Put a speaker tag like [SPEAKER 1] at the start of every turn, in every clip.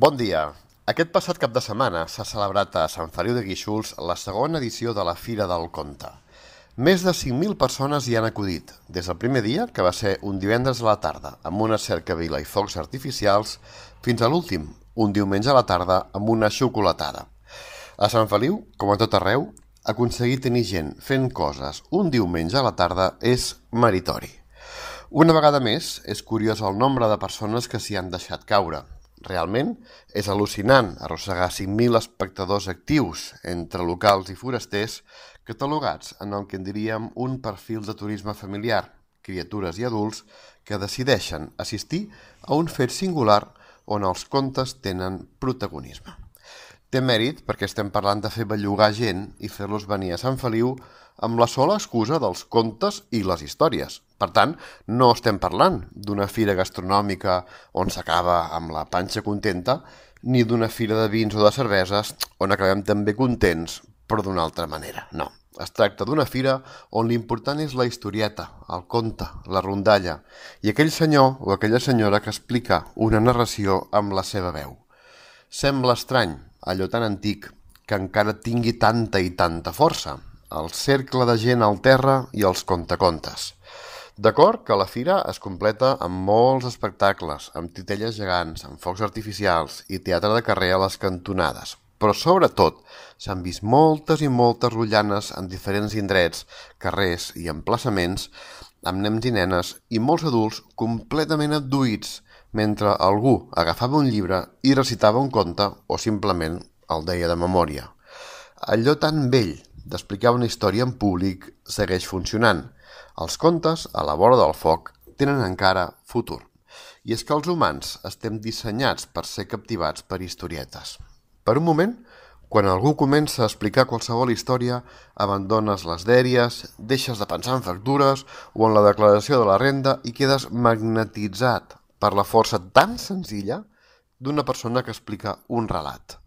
[SPEAKER 1] Bon dia. Aquest passat cap de setmana s'ha celebrat a Sant Feliu de Guíxols la segona edició de la Fira del Conte. Més de 5.000 persones hi han acudit, des del primer dia, que va ser un divendres a la tarda, amb una cercavila i focs artificials, fins a l'últim, un diumenge a la tarda, amb una xocolatada. A Sant Feliu, com a tot arreu, aconseguir tenir gent fent coses un diumenge a la tarda és meritori. Una vegada més, és curiós el nombre de persones que s'hi han deixat caure. Realment, és al·lucinant arrossegar 5.000 espectadors actius entre locals i forasters catalogats en el que en diríem un perfil de turisme familiar, criatures i adults que decideixen assistir a un fet singular on els contes tenen protagonisme. Té mèrit perquè estem parlant de fer bellugar gent i fer-los venir a Sant Feliu amb la sola excusa dels contes i les històries. Per tant, no estem parlant d'una fira gastronòmica on s'acaba amb la panxa contenta, ni d'una fira de vins o de cerveses on acabem també contents, però d'una altra manera. No, es tracta d'una fira on l'important és la historieta, el conte, la rondalla, i aquell senyor o aquella senyora que explica una narració amb la seva veu. Sembla estrany, allò tan antic, que encara tingui tanta i tanta força, el cercle de gent al terra i els contacontes. D'acord que la fira es completa amb molts espectacles, amb titelles gegants, amb focs artificials i teatre de carrer a les cantonades, però sobretot s'han vist moltes i moltes rotllanes en diferents indrets, carrers i emplaçaments, amb nens i nenes i molts adults completament abduïts, mentre algú agafava un llibre i recitava un conte o simplement el deia de memòria. Allò tan vell d'explicar una història en públic segueix funcionant. Els contes, a la vora del foc, tenen encara futur. I és que els humans estem dissenyats per ser captivats per historietes. Per un moment, quan algú comença a explicar qualsevol història, abandones les dèries, deixes de pensar en factures o en la declaració de la renda i quedes magnetitzat per la força tan senzilla d'una persona que explica un relat.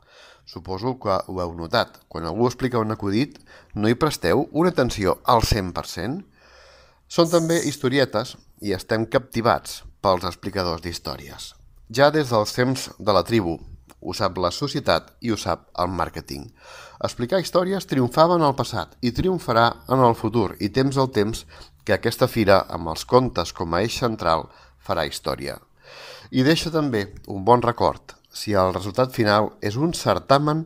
[SPEAKER 1] Suposo que ho heu notat. Quan algú explica un acudit, no hi presteu una atenció al 100%? Són també historietes i estem captivats pels explicadors d'històries. Ja des dels temps de la tribu, ho sap la societat i ho sap el màrqueting. Explicar històries triomfava en el passat i triomfarà en el futur, i temps al temps que aquesta fira, amb els contes com a eix central, farà història. I deixa també un bon record, si el resultat final és un certamen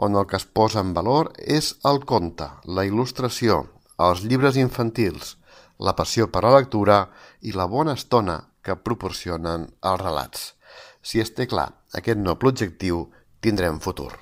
[SPEAKER 1] on el que es posa en valor és el conte, la il·lustració, els llibres infantils, la passió per la lectura i la bona estona que proporcionen els relats. Si es té clar aquest noble objectiu, tindrem futur.